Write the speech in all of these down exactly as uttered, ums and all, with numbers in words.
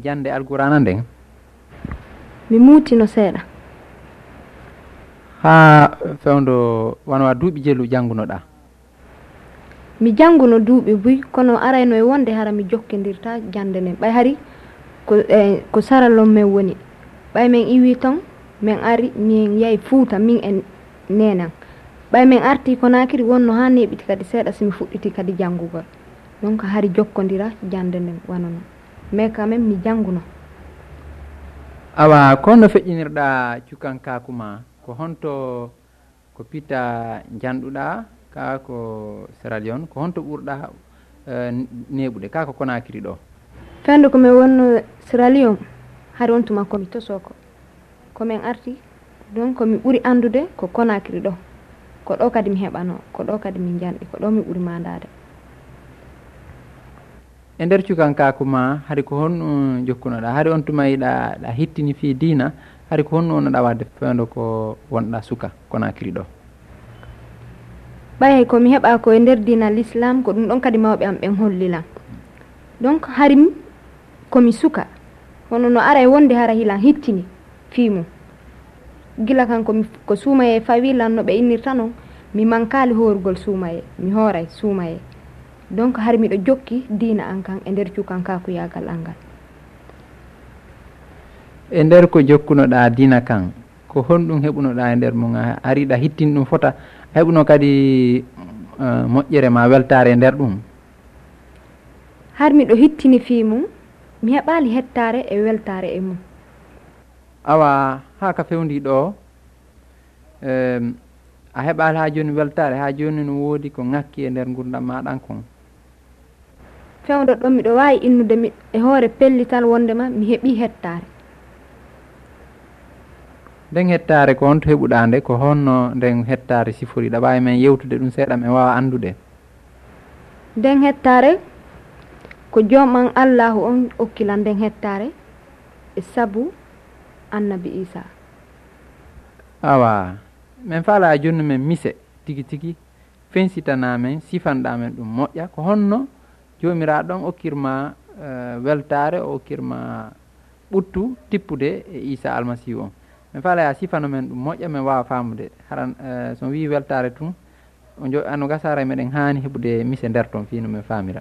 jannde Alqur'aana nden? Mi muutino seeɗa. Haa fewndo wano a duuɓi jelu janngunoɗaa? Mi jannguno duuɓi buy, kono arayno e wonde hara mi jokkondirta jannde nden. Ɓay hari ko, eh, ko Saralon men woni. Ɓay men iwi ton, men ari, min yahi Fuuta, min e neenan. Ɓay men arti Konaakiri, wonno haa neeɓiti kadi seeɗa si mi fuɗɗiti kadi janngugol. Donc hari jokkondira jannde nden wano non. Mais quand même mi jannguno. Awa, ko honno feƴƴinirɗaa cukankaaku maa? Ko honto, ko pitta njanɗuɗaa ka ko Sierra Leone? Ko honto ɓurɗaa, eh, neeɓude ka ko Konaakiri ɗo? Fewndo ko mi wonno Sierra Leone, hari on tuma ko mi tosoko. Ko min arti, donc ko mi ɓuri anndude ko Konaakiri ɗo. Ko ɗo kadi mi heɓanoo, ko ɗo kadi min njanɗi, ko ɗo mi ɓuri maandaade. E nder cukankaaku maa, hari ko honno jokkunoɗaa? Hari on tuma hiɗa, ɗa hittini fii diina, hari ko honno wonnoɗaa waɗde fewndo ko wonɗaa suka Konaakiri ɗo? Ɓay ko mi heɓaa ko e nder diina Lislaam, ko ɗum ɗon kadi mawɓe am ɓen holli lan. Donc, hari mi, ko mi suka, hono no ara e wonde hara hilan hittini fii mum. Gila kan ko mi, ko suumayee fawi lan no ɓe innirta non, mi mankaali hoorugol suumayee, mi hooray suumayee. Donc, hari miɗo jokki diina an kan e nder cukankaakuyaagal an ngal. E nder ko jokkunoɗaa diina kan, ko honɗum heɓunoɗaa e nder mum? A, hari ɗa hittini ɗum fota, a heɓuno kadi, eh, moƴƴere maa weltaare e nder ɗum? Har miɗo hittini fii mum, mi heɓaali hettaare e weltaare e mum. Awa, haa ka fewndii ɗoo, em, a heɓaali haa jooni weltaare, haa jooni no woodi ko ŋakki e nder ngurndan maa ɗan kon? Fewndo ɗon miɗo waawi innude mi e hoore pellital wondema mi heɓii hettaare. Nden hettaare ko honto heɓuɗaa nde? Ko honno nden hettaare sifori? Ɗa waawi men yewtude ɗum seeɗa, men waawa anndude. Nden hettaare ko Joom an Allaahu on okki lan nden hettaare e sabu Annabi Iisaa. Awa, men faalaa jooni men mise tigi tigi, fensitanaa men, sifanɗaa men ɗum moƴƴa. Ko honno Joomiraaɗo on okkirma, eh, weltaare, o okkirma ɓuttu tippude e Iisaa Almasiihu on? Men faalaa yo a sifano men ɗum moƴƴa, men waawa faamude. Haran, eh, so on wi'i weltaare tun, o jo-, ano gasa haray meɗen haani heɓude mise nder ton fii no men faamira.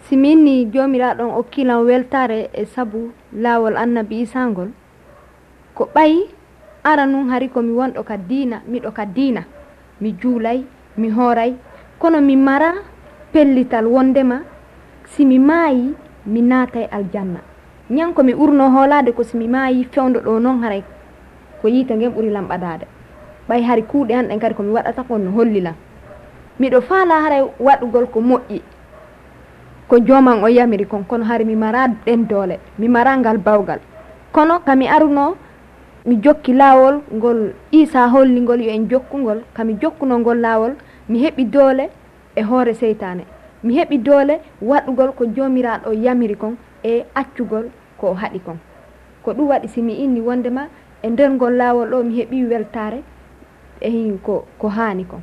Si mi inni Joomiraaɗo on okkii lan weltaare e sabu laawol Annabi Iisaa ngol, ko ɓay ara nun hari ko mi wonɗo ka diina, miɗo ka diina, mi juulay, mi hooray, kono mi maraa pellital wondema si mi maayii, mi naatay aljanna. Ñan ko mi ɓurnoo hoolaade ko si mi maayii fewndo ɗoo non haray ko yiite ngen ɓuri lan ɓadaade. Ɓay hari kuuɗe an ɗen kadi ko mi waɗata kon no holli lan. Miɗo faalaa haray waɗugol ko moƴƴi, ko Joom an o yamiri kon, kono hari mi maraa ɗen doole, mi maraa ngal bawgal. Kono ka mi arunoo, mi jokki laawol ngol Iisaa holli ngol yo en jokku ngol, ka mi jokkunoo ngol laawol, mi heɓi doole e hoore seytaane. Mi heɓi doole waɗugol ko Joomiraaɗo yamiri kon e accugol ko o haɗi kon. Ko ɗum waɗi si mi inni wondema e nder ngol laawol ɗoo mi heɓii weltaare e hin ko, ko haani kon.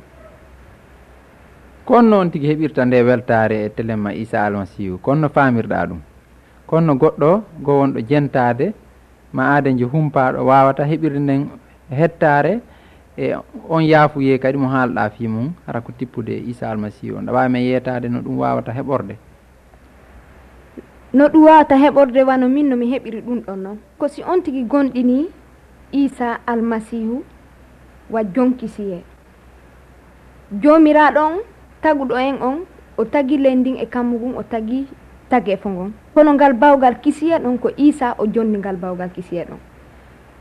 Ko honno on tigi heɓirta nde weltaare e telemma Iisaa Almasiihu? Ko honno faamirɗaa ɗum? Ko honno goɗɗo goo wonɗo jentaade ma aaden jo humpaaɗo waawata heɓirde nden hettaare e on yaafuyee kadi mo haalɗaa fii mum, hara ko tippude e Iisaa Almasiihu on? Ɗa waawi men yeetaade no ɗum waawata heɓorde? No ɗum waawata heɓorde wano min no mi heɓiri ɗum ɗon non. Ko si on tigi gomɗinii Iisaa Almasiihu wa jonkisiyee. Joomiraaɗo on taguɗo en on, o tagi leydi ndin e kammu ngun, o tagi tageefo ngon. Kono ngal bawgal kisiyee ɗon, ko Iisaa o jonni ngal bawgal kisiyee ɗon.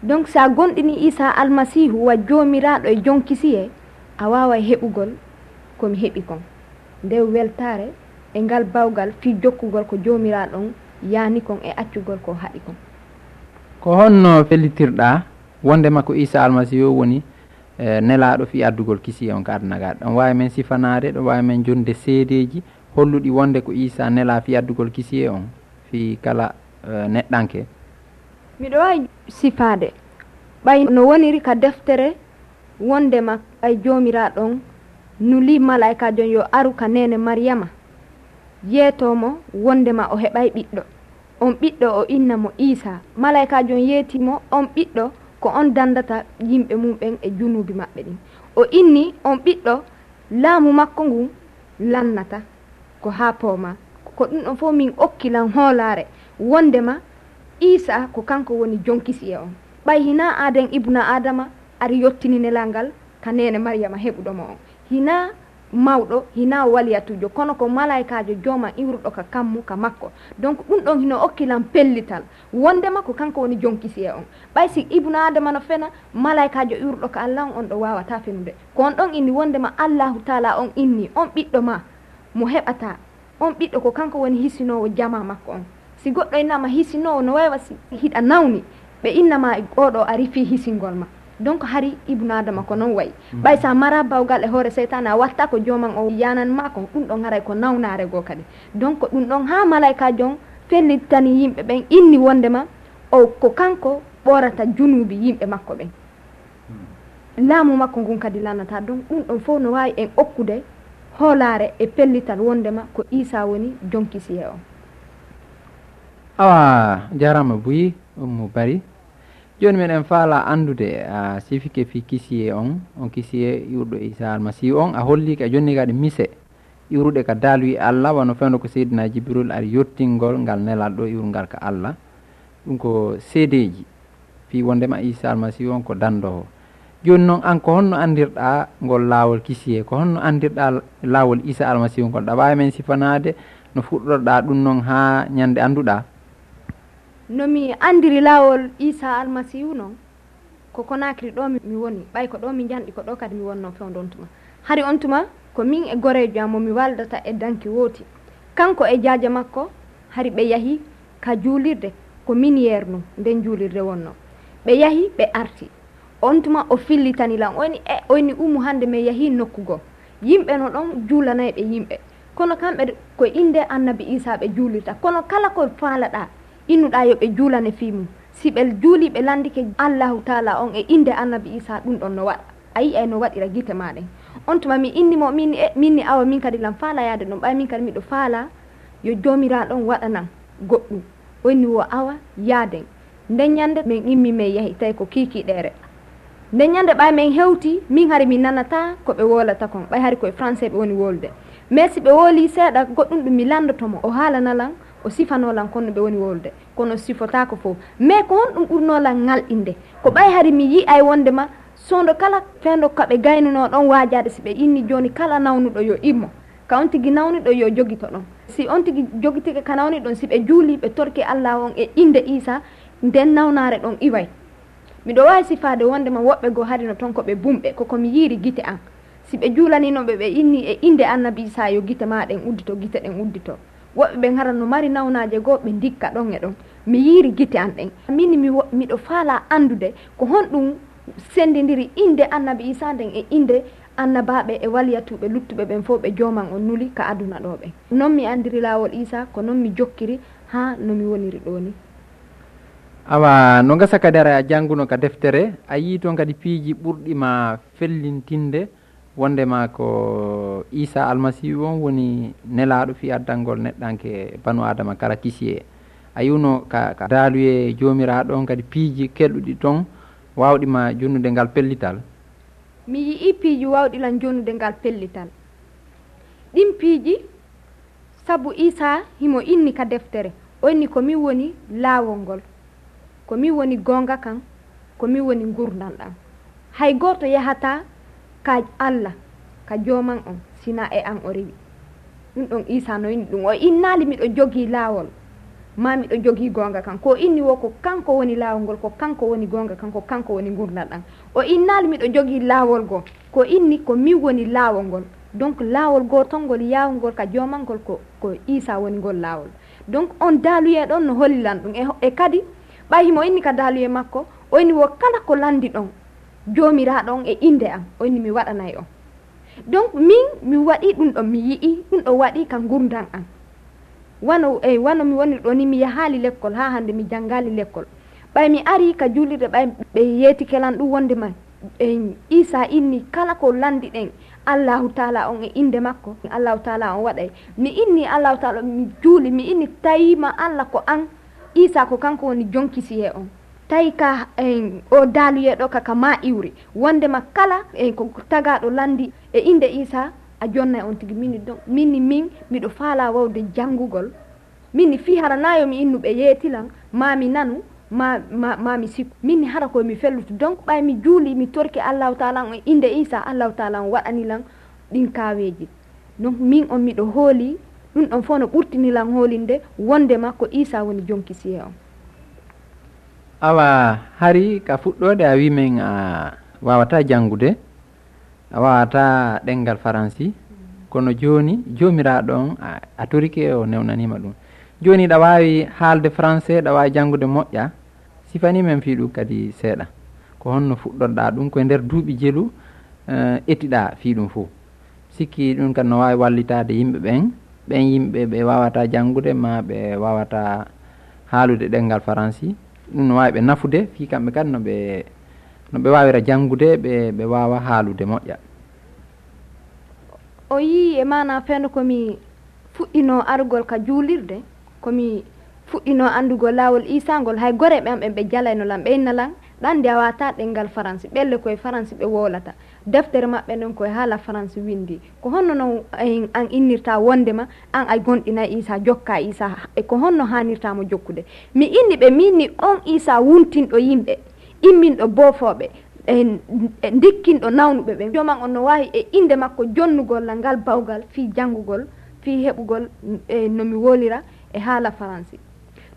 Donc, si a gomɗinii Iisaa Almasiihu wa Joomiraaɗo e jonkisiyee, a waaway heɓugol ko mi heɓi kon. Nden weltaare e ngal bawgal fii jokkugol ko Joomiraaɗo on yaani kon e accugol ko o haɗi kon. Ko honno fellitirɗaa wondema ko Iisaa Almasiihu woni, eh, nelaaɗo fii addugol kisiyee on ka aduna ga? Ɗon waawi men sifanaade, ɗon waawi men jonde seedeeji holluɗi wonde ko Iisaa nelaa fii addugol kisiyee on fii kala, eh, neɗɗanke? Miɗo waawi sifaade, ɓay no woniri ka deftere wondema ɓay Joomiraaɗo on nulii malaa'ikaajo on yo aru ka neene Mariyama, yeetoo mo wondema o heɓay ɓiɗɗo. On ɓiɗɗo o inna mo Iisaa. Malaykaajo on yeetii mo, On ɓiɗɗo ko on danndata yimɓe mum ɓen e junuubi maɓɓe ɗin. O inni, On ɓiɗɗo, laamu makko ngun lannata ko haa poomaa. Ko ɗun ɗon fow min okki lan hoolaare wonndema Iisaa ko kanko woni jon kisiyee on. Ɓay hinaa aaden Ibuna Aadama ari yottini nelal ngal ka neene Mariyama heɓuɗo mo on. Hinaa mawɗo, hinaa waliyatuujo, kono ko malaykaajo Jooman iwruɗo ka kammu ka makko. Donc, ɗun ɗon hino okki lan pellital wonndema ko kanko woni jon kisiyee on. Ɓay si Ibuna Aadama no fena, malaykaajo iwruɗo ka Alla on, on ɗon waawataa fenude. Ko on ɗon inni wonndema Allaahu Taalaa on inni, On ɓiɗɗo maa mo heɓataa, on ɓiɗɗo ko kanko woni hisinoowo jamaa makko on. Si goɗɗo innaama hisinoowo, no way wa si hiɗa nawni, ɓe inna ma, Oo ɗoo arii fii hisingol ma. Donc, hari Ibnu Aadama ko non wayi. Ɓay si a maraa bawgal e hoore seytaane, a wattaa ko Jooman on yaanani maa kon, ɗun ɗon haray ko nawnaare goo kadi. Donc, ɗun ɗon haa malaykaajo on fellitani yimɓe ɓen, inni wonndema o ko kanko ɓorata junuubi yimɓe makko ɓen. Laamu makko ngun kadi lannataa. Donc, ɗun ɗon fow no waawi en okkude hoolaare e pellital wonndema ko Iisaa woni jon kisiyee on. Awa, jaaraama buy Ummu Bari. Jooni miɗen faalaa anndude a sifike fii kisiyee on, on kisiyee iwruɗo Iisaa Almasiihu on, a hollii ka jonni kadi mise iwruɗe ka daaluyee Alla, wano fewndo ko Seydinaa Jibril ari yottingol ngal nelaaɗo iwrungal ka Alla. Ɗun ko seedeeji fii wonndema Iisaa Almasiihu on ko danndoowo. Jooni non, an ko honno anndirɗaa ngol laawol kisiyee? Ko honno anndirɗaa laawol Iisaa Almasiihu ngol? Ɗa waawi men sifanaade no fuɗɗorɗaa ɗun non haa ɲande annduɗaa? No mi anndiri laawol Iisaa Almasiihu non, ko Konaakiri ɗoo mi, mi woni, ɓay ko ɗoo mi njanɗi, ko ɗoo kadi mi wonnoo fewndo on tuma. Hari on tuma, ko min e goreejo an mo mi waldata e danki wooti. Kanko e jaaja makko, hari ɓe yahi ka juulirde, ko min yeernoo nden juulirde wonnoo. Ɓe yahi, ɓe arti. On tuma o fillitani lan, o inni, E, o inni, Ummu, hande men yahii nokku goo. Yimɓe no ɗon juulanayɓe yimɓe. Kono kamɓe, ko innde Annabi Iisaa ɓe juulirta. Kono kala ko faalaɗaa, innuɗaa yo ɓe juulane fii mun. Si ɓe juulii, ɓe lanndike Allaahu Taalaa on e innde Annabi Iisaa, ɗun ɗon no waɗa. A yi'ay no waɗira gite maa ɗen. On tuma mi inni mo, mi inni, E, mi inni, Awa, min kadi lan faalaa yaade ɗon. Ɓay min kadi miɗo faalaa yo Joomiraaɗo on waɗanan goɗɗun. O inni wo, Awa, yaaden. Nden ɲande men immii men yahi, tawi ko kiikiiɗeere. Nden ɲande ɓay men hewtii, min hari mi nanataa ko ɓe woolata kon, ɓay hari ko e français ɓe woni wolude. Mais si ɓe woolii seeɗa goɗɗun ɗun mi lanndoto mo, o haalana lan, o sifanoo lan kon no ɓe woni wolude. Kono o sifotaako fow. Mais ko honɗun ɓurnoo lan ŋalɗinde? Ko ɓay hari mi yi'ay wonndema soondo kala fewndo ka ɓe gaynunoo ɗon waajaade, si ɓe inni jooni kala nawnuɗo yo immo. Ka on tigi nawniɗo yo jogito ɗon. Si on tigi jogitike ka nawni ɗon, si ɓe juulii, ɓe torki Allaahu on e innde Iisaa, nden nawnaare ɗon iway. Miɗo waawi sifaade wonndema woɓɓe goo hari no ton ko ɓe bumɓe, ko ko mi yiiri gite an. Si ɓe juulaniino ɓe, ɓe inni e innde Annabi Iisaa yo gite maa ɗen uddito, gite ɗen uddito. Woɓɓe ɓen hara no mari nawnaaje goo, ɓe ndikka ɗon e ɗon. Mi yiiri gite an ɗen. Min mi wo-, miɗo faalaa anndude ko honɗun senndindiri innde Annabi Iisaa nden e innde annabaaɓe e waliyatuuɓe luttuɓe ɓen fow ɓe Jooman on nuli ka aduna ɗoo ɓen. Non mi anndiri laawol Iisaa, ko non mi jokkiri haa no mi woniri ɗoo nii. Awa, no gasa kadi hara a jannguno ka deftere, a yi'ii ton kadi piiji ɓurɗi ma fellintinde wonndema ko Iisaa Almasiihu on woni nelaaɗo fii addangol neɗɗanke banu Aadama kala kisiyee. A yi'uno ka, ka daaluyee Joomiraaɗo on kadi piiji kelɗuɗi ton waawɗi ma jonnude ngal pellital? Mi yi'ii piiji waawɗi lan jonnude ngal pellital. Ɗin piiji, sabu Iisaa himo inni ka deftere, o inni, Ko min woni laawol ngol, ko min woni goonga kan, ko min woni ngurndan ɗan. Hay gooto yahataa ka Alla, ka Jooman on, si naa e an o rewi. Ɗun ɗon Iisaa no inni ɗun. O innaali, Miɗo jogii laawol, maa miɗo jogii goonga kan. Ko o inni wo, Ko kanko woni laawol ngol, ko kanko woni goonga kan, ko kanko woni ngurndan ɗan. O innaali, Miɗo jogii laawol goo. Ko o inni, Ko min woni laawol ngol. Donc, laawol gootol ngol yaawungol ka Jooman ngol, ko, ko Iisaa woni ngol laawol. Donc, on daaluyee ɗon no holli lan ɗun. E, e kadi, ɓay himo inni ka daaluyee makko, o inni wo, Kala ko lanndiɗon Joomiraaɗo on e innde an, o inni mi waɗanay on. Donc, min, mi waɗii ɗun ɗon, mi yi'ii ɗun ɗon waɗii ka ngurndan an. Wano, e, wano mi woniri ɗoo nii, mi yahaali lekkol, haa hande mi janngaali lekkol. Ɓay mi arii ka juulirde, ɓay ɓe yeetike lan ɗun wonndema, e, Iisaa inni, Kala ko lanndiɗen Allaahu Taalaa on e innde makko, Allaahu Taalaa on waɗay. Mi inni Allaahu Taalaa, mi juuli, mi inni, Tawiima Alla ko an, Iisaa ko kanko woni jonki siyee on. Tawi ka, en, o daaluyee ɗo ka, ka maa iwri. Wondema kala, en, ko tagaaɗo lanndi e innde Iisaa, a jonnay on tigi. Min ni ɗon, min ni min, miɗo faalaa wawde janngugol. Min ni fii hara naa yo mi innu ɓe yeeti lan, maa mi nanu, maa, maa, maa mi sikku. Min ni hara ko mi fellutu. Donc, ɓay mi juuli, mi torki Allaahu Taala on e innde Iisaa, Allaahu Taala on waɗani lan ɗin kaaweeji. Donc, min on miɗo hooli, ɗun ɗon fof no ɓurtini lan hoolinde wondema ko Iisaa woni jonki siyee on. Awa, hari ka fuɗɗoode a wi men a waawataa janngude, a waawataa ɗemngal faransi, kono jooni Joomiraaɗo on a, a torike o newnaniima ɗum. Jooni ɗa waawi haalde français, ɗa waawi janngude moƴƴa, sifanii men fii ɗum kadi seeɗa. Ko honno fuɗɗorɗaa ɗum, ko e nder duuɓi jelu, eh, etiɗaa fii ɗum fof? Sikki ɗum kadi no waawi wallitaade yimɓe ɓen, ɓen yimɓe ɓe waawataa janngude maa ɓe waawataa haalude ɗemngal faransi. Ɗum no waawi ɓe nafude fii kamɓe kadi no ɓe, no ɓe waawira janngude, ɓe, ɓe waawa haalude moƴƴa. O yii e maanaa fewndo ko mi fuɗɗinoo arugol ka juulirde, ko mi fuɗɗinoo anndugol laawol Iisaa ngol, hay goreeɓe am ɓen ɓe jalayno lan, ɓe inna lan, ɗan de a waawataa ɗemngal faransi, ɓelle ko e faransi ɓe wowlata. Deftere maɓɓe nden ko e haala faransi winndi. Ko honno non, en, an innirtaa wondema an a gonɗinay Iisaa, jokkaa Iisaa, e ko honno haanirtaa mo jokkude? Mi inni ɓe, min ni on Iisaa wuntinɗo yimɓe, imminɗo boofooɓe, e, e ndikkinɗo nawnuɓe ɓen. Jooman on no waawi e innde makko jonnugol lan ngal bawgal fii janngugol, fii heɓugol, e, no mi wolira e haala faransi.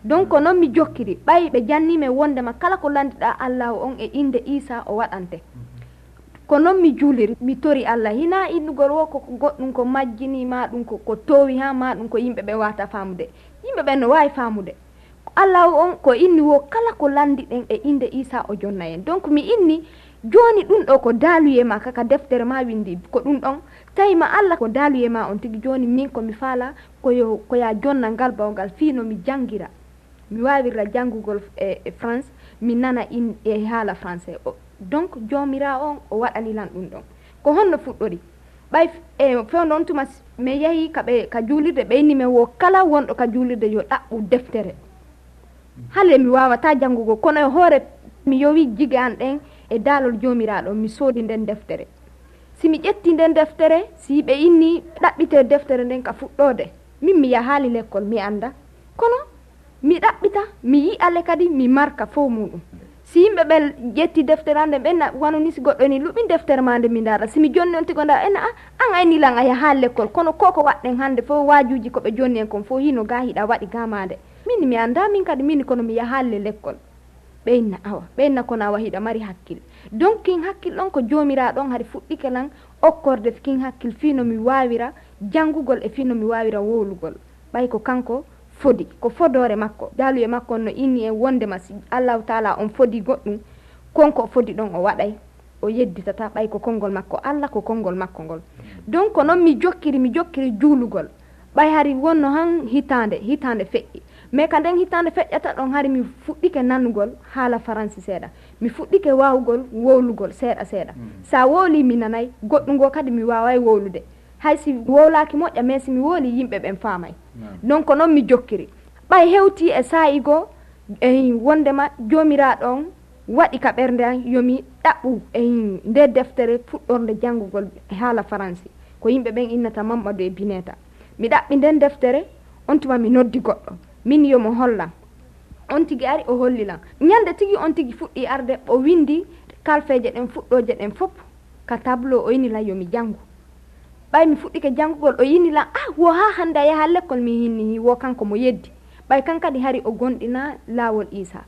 Donc, ko non mi jokkiri, ɓay ɓe jannii men wondema kala ko lanndiɗaa Allaahu on e innde Iisaa o waɗante. Ko non mi juuliri, mi tori Alla. Hinaa innugol wo ko, ko goɗɗum ko majjinii, maa ɗum ko, ko toowi haa, maa ɗum ko yimɓe ɓen waawataa faamude. Yimɓe ɓen no waawi faamude. Ko Allaahu on ko inni wo kala ko lanndiɗen e innde Iisaa o jonna en. Donc mi inni, jooni ɗum ɗo ko daaluyee maa ka, ka deftere maa winndi, ko ɗum ɗon. Tawi ma Alla ko daaluyee maa on tigi, jooni min ko mi faalaa, ko yo, ko yaa jonna ngal bawgal fii no mi janngira. Mi waawirra janngugol e, e France, mi nana in, e haala français. O, donc, Joomiraaɗo on, o waɗani lan ɗum ɗon. Ko honno fuɗɗori? Ɓay f-, e, fewndo on tuma s-, mi yahi ka ɓe, ka juulirde, ɓe inni men wo kala wonɗo ka juulirde yo ɗaɓɓu deftere. Hale mi waawataa janngugol, kono e hoore mi yowi jige an ɗen e daalol Joomiraaɗo, mi soodi nden deftere. Si mi ƴetti nden deftere, si ɓe inni ɗaɓɓitee deftere nden ka fuɗɗoode, min mi yahaali lekkol, mi annda. Kono mi ɗaɓɓita, mi yi'a le kadi, mi marka fow muuɗum. Si yimɓe ɓen ƴetti deftere an nden, ɓen na, wano ni si goɗɗo ni luɓin deftere maa nde mi ndaara. Si mi jonni on tigo ndaara, en a, an a inni lan a yahaali lekkol, kono ko ko waɗɗen hannde fow, waajuuji ko ɓe jonni en kon fow, hino gaa hiɗa waɗi gaa maande. Min mi annda min kadi min kono mi yahaali le lekkol. Ɓe inna awa, ɓe inna kono awa hiɗa mari hakkil. Donc kin hakkil ɗon ko Joomiraaɗo on hari fuɗɗike lan okkorde kin hakkil fii no mi waawira janngugol e fii no mi waawira wowlugol. Ɓay ko kanko fodi, ko fodoore makko. Daaluye makko on no inni en wondema si Allaahu Taala on fodi goɗɗum, kon ko o fodi ɗon o waɗay, o yedditata, ɓay ko konngol makko Alla, ko konngol makko ngol. Donc ko non mi jokkiri, mi jokkiri juulugol. Ɓay hari wonno han hitaande, hitaande feƴƴi. Mais ka nden hitaande feƴƴata ɗon hari mi fuɗɗike nanugol haala faransi seeɗa. Mi fuɗɗike waawugol wowlugol seeɗa seeɗa. Sa wowli mi nanay, goɗɗum goo kadi mi waaway wowlude. Hay si wowlaaki moƴƴa, mais si mi wowli yimɓe ɓen faamay. Donc ko non mi jokkiri. Ɓay hewti e saa'i goo, e wondema Joomiraaɗo on waɗi ka ɓernde an yo mi ɗaɓɓu e nde deftere fuɗɗorde janngugol e haala faransi, ko yimɓe ɓen innata Mammadu e Bineta. Mi ɗaɓɓi nden deftere, on tuma mi noddi goɗɗo, min yo mo hollan. On tigi ari o holli lan. Ñande tigi on tigi fuɗɗi arde, o windi kalfeeje ɗen fuɗɗooje ɗen fop ka tableau, o inni lan yo mi janngu. Ɓay mi fuɗɗike janngugol, o inni lan, ah, wo haa hannde a yaha lekkol, mi hinni hi, wo kanko mo yeddi. Ɓay kan kadi hari o gonɗina laawol Iisaa.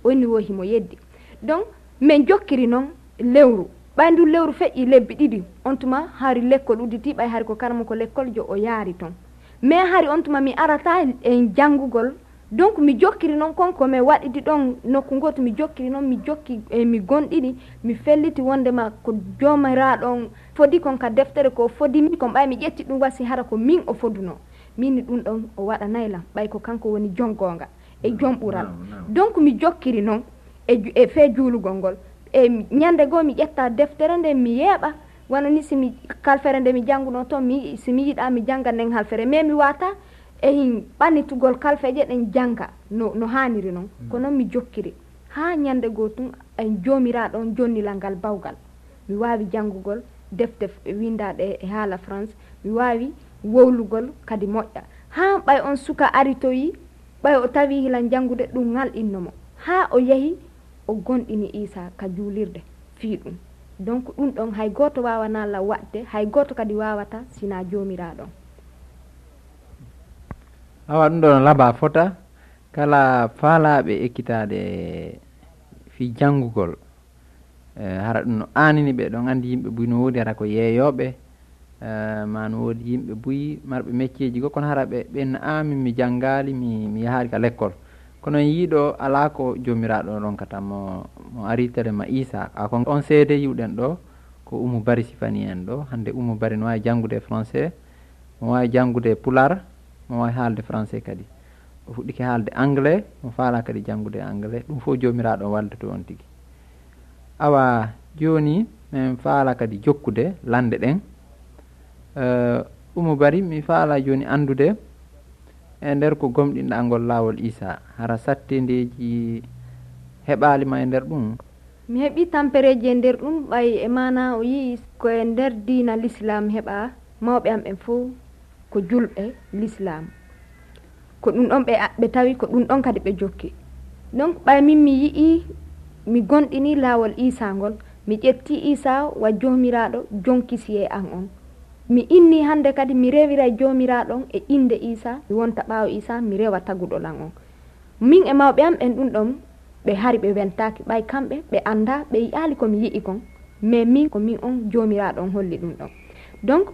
O inni wo himo yeddi. Donc, min jokkiri non lewru. Ɓay ndun lewru feƴƴi lebbi ɗiɗi, on tuma hari lekkol udditi, ɓay hari ko karamoko lekkol jo o yaari ton. Mais hari on tuma mi arata en janngugol. Donc, mi jokkiri non kon ko mi waɗidi ɗon nokku gooto, mi jokkiri non, mi jokki, e mi gonɗini, mi felliti wondema ko Joomiraaɗo on fodi kon ka deftere, ko fodi mi kon, ɓay mi ƴetti ɗum wasi hara ko min o fodunoo. Min ni ɗum ɗon o waɗanay lan, ɓay ko kanko woni jom goonga e jom ɓural. Donc, mi jokkiri non e ju-, e fee juulugol ngol. E mi, ñande goo mi ƴetta deftere nden mi yeeɓa, wano ni si mi, kalfere nde mi janngunoo ton, mi, si mi yiɗaa mi jannga nden halfere, mais mi waata e hin ɓannitugol kalfeeje ɗen jannga. no, no haaniri noon. Ko noon mi jokkiri. Haa ñande goo tun, en Joomiraaɗo on jonni lan ngal bawgal. Mi waawi janngugol defte f-, winndaaɗe e haala France. Mi waawi wowlugol kadi moƴƴa. Haa ɓay on suka aritoyi, ɓay o tawi hilan janngude, ɗum ŋalɗinno mo. Haa o yahi, o gomɗini Iisaa ka juulirde fii ɗum. Donc, ɗum ɗon hay gooto waawanaa lan waɗde, hay gooto kadi waawata sinaa Joomiraaɗo on. Awa ɗum ɗon laba fota, kala faalaaɓe ekkitaade fii janngugol, eh, hara ɗum no aanini ɓe, ɗon anndi yimɓe buy no woodi hara ko yeeyooɓe, eh, ma no woodi yimɓe buy marɓe mecceeji goo, kono hara ɓe, ɓen amin mi janngaali, mi, mi yahaali ka lekkol. Kono en yiiɗo alaa ko Joomiraaɗo ronkata mo, mo ari tele ma Iisaa. A kon on seede yi'uɗen ɗoo, ko Umu Bari sifani en ɗoo. Hannde Umu Bari no waawi janngude français, mo waawi janngude pulaar, mo waawi haalde français kadi. O fuɗɗike haalde anglais, mo faalaa kadi janngude anglais. Ɗum fof Joomiraaɗo on walloto on tigi. Awa, jooni men faalaa kadi jokkude lannde ɗen. Eh, Umu Bari, mi faalaa jooni anndude e nder ko gomɗinɗaa ngol laawol Iisaa, hara sattindeeji heɓaali ma e nder ɗum? Mi heɓii tampereeji e nder ɗum, ɓay e maanaa o yi'i ko e nder diina Lislaam heɓaa, mawɓe am ɓen fow ko julɓe Lislaam. Ko ɗum ɗon ɓe, ɓe tawi, ko ɗum ɗon kadi ɓe jokki. Donc, ɓay min mi yi'ii, mi gomɗinii laawol Iisaa ngol, mi ƴettii Iisaa wa Joomiraaɗo jonkisiyee an on. Mi innii hannde kadi mi rewiray Joomiraaɗo on e innde Iisaa, mi wonta ɓaawo Iisaa, mi rewa taguɗo lan on. Min e mawɓe am ɓen ɗum ɗon, ɓe hari ɓe weltaaki, ɓay kamɓe ɓe anndaa, ɓe yi'aali ko mi yi'i kon, mais min ko min on Joomiraaɗo on holli ɗum ɗon. Donc,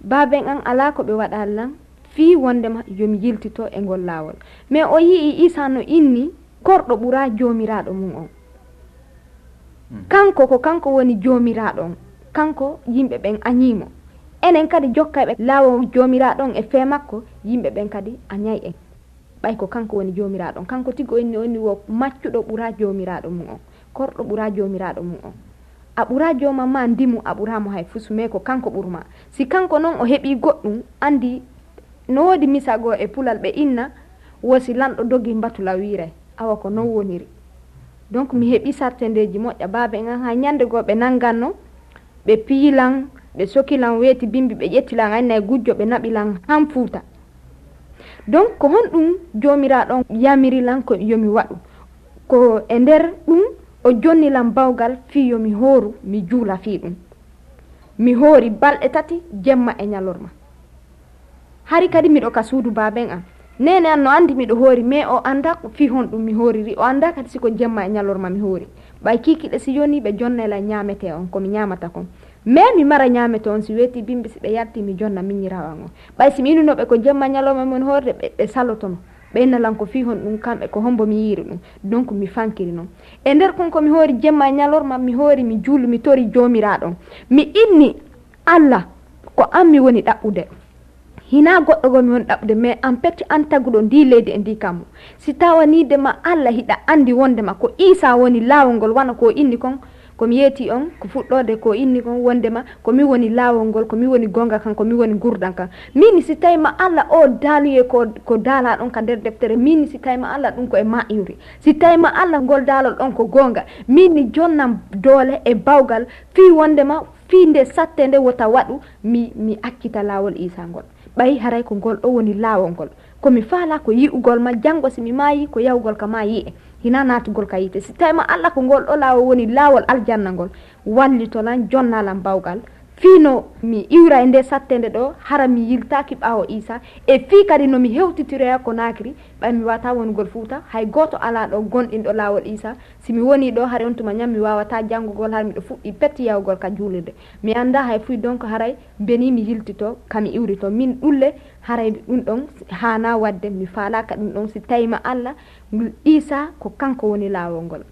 baaben an alaa ko ɓe waɗaali lan fii wonndema yo mi yiltito e ngol laawol. Mais o yi'i Iisaa no inni korɗo ɓuraa Joomiraaɗo mum on. Kanko ko kanko woni Joomiraaɗo on, kanko yimɓe ɓen añii mo. Enen kadi jokkayɓe laawol Joomiraaɗo on e fee makko, yimɓe ɓen kadi añay en. Ɓay ko kanko woni Joomiraaɗo on. Kanko tigi o inni, o inni wo maccuɗo ɓuraa Joomiraaɗo mum on, korɗo ɓuraa Joomiraaɗo mum on. A ɓuraa joomam maa ndimu, a ɓuraa mo hay fus, mais ko kanko ɓuri maa. Si kanko non o heɓii goɗɗum, anndi no woodi misa goo e pulal ɓe inna, wo si lanɗo dogii mbatu law wiiray. Awa ko non woniri. Donc mi heɓii sattendeeji moƴƴa, baabe en an hay ñande goo ɓe nannganno, ɓe piyi lan, ɓe soki lan weeti bimbi, ɓe ƴetti lan aynay gujjo, ɓe naɓi lan han Fuuta. Donc ko honɗum Joomiraaɗo on yamiri lan ko yo mi waɗu? Ko e nder ɗum o jonni lan bawgal fii yo mi hooru, mi juula fii ɗum. Mi hoori balɗe tati, jemma e ñalorma. Hari kadi miɗo ka suudu baaben an. Neene an no anndi miɗo hoori, mais o anndaa ko fii honɗum mi hooriri, o anndaa kadi si ko jemma e ñalorma mi hoori. Ɓay kiikiiɗe si yonii ɓe jonnay lan ñaametee on, ko mi ñaamata kon. Mais mi mara ñaametee on, si weetii bimbi, si ɓe yaltii mi jonna miñiraawo an on. Ɓay si mi inunoo ɓe ko jemma e ñalorma mi woni hoorde, ɓe, ɓe salotono. Ɓe inna lan ko fii honɗum kamɓe, ko hombo mi yiiri ɗum. Donc mi fankiri non. E nder kon ko mi hoori jemma e ñalorma, mi hoori, mi juulu, mi tori Joomiraaɗo on. Mi inni, Alla, ko an mi woni ɗaɓɓude. Hinaa goɗɗo goo mi woni ɗaɓɓude, mais an peti an taguɗo ndii leydi e ndii kammu. Si tawanii de ma Alla hiɗa anndi wonndema ko Iisaa woni laawol ngol, wano ko o inni kon, ko mi yeetii on, ko fuɗɗoode ko o inni kon, wonndema ko min woni laawol ngol, ko min woni goonga kan, ko min woni ngurndan kan. Min si tawi ma Alla oo daaluyee ko, ko daalaa ɗon ka nder deftere, min si tawi ma Alla ɗum ko e ma iwri. Si tawi ma Alla ngol daalol ɗon ko goonga, min ni jonnan doole e bawgal fii wonndema fii nde satte nde wota waɗu mi, mi accita laawol Iisaa ngol. Ɓay haray ko ngol ɗoo woni laawol ngol. Ko mi faalaa ko yi'ugol ma, janngo si mi maayii, ko yahugol ka maa yi'e, hinaa naatugol ka yiite. Si tawi ma Alla ko ngol ɗoo laawol woni laawol aljanna ngol, wallito lan, jonna lan bawgal. Fii no mi iwra e nde satte nde ɗoo, hara mi yiltaaki ɓaawo Iisaa. E fii kadi no mi hewtitiroya Konaakiri, ɓay mi waawataa wonugol Fuuta, hay gooto alaa ɗoo gomɗinɗo laawol Iisaa. Si mi wonii ɗoo, hari on tuma ñan mi waawataa janngugol, hara miɗo fuɗɗii pet yahugol ka juulirde. Mi anndaa hay fuy, donc haray benii mi yiltitoo, ka mi iwritoo. Min ɗulle, haray ɗum ɗon haanaa waɗde, mi faalaaka ɗum ɗon. Si tawi ma Alla, Iisaa ko kanko woni laawol ngol.